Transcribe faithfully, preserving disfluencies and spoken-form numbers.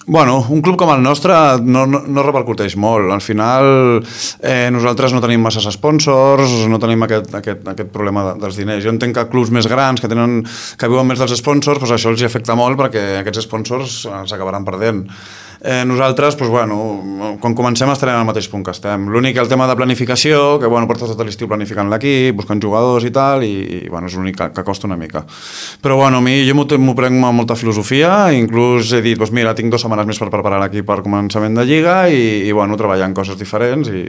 Bueno, un club com el nostre no, no, no repercuteix molt. Al final eh, nosaltres no tenim masses sponsors, no tenim aquest, aquest, aquest problema de, dels diners. Jo entenc que clubs més grans que, tenen, que viuen més dels sponsors, doncs això els hi afecta molt perquè aquests sponsors s'acabaran perdent. Eh, nosaltres, doncs, bueno, quan comencem estarem al mateix punt que estem. L'únic, el tema de planificació, que bueno, portes tot l'estiu planificant l'equip, buscant jugadors i tal, i, i bueno, és l'únic que, que costa una mica. Però bueno, a mi jo m'ho prenc amb molta filosofia, inclús he dit, doncs mira, tinc dues setmanes més per preparar l'equip per començament de lliga i, i bueno, treballar en coses diferents i,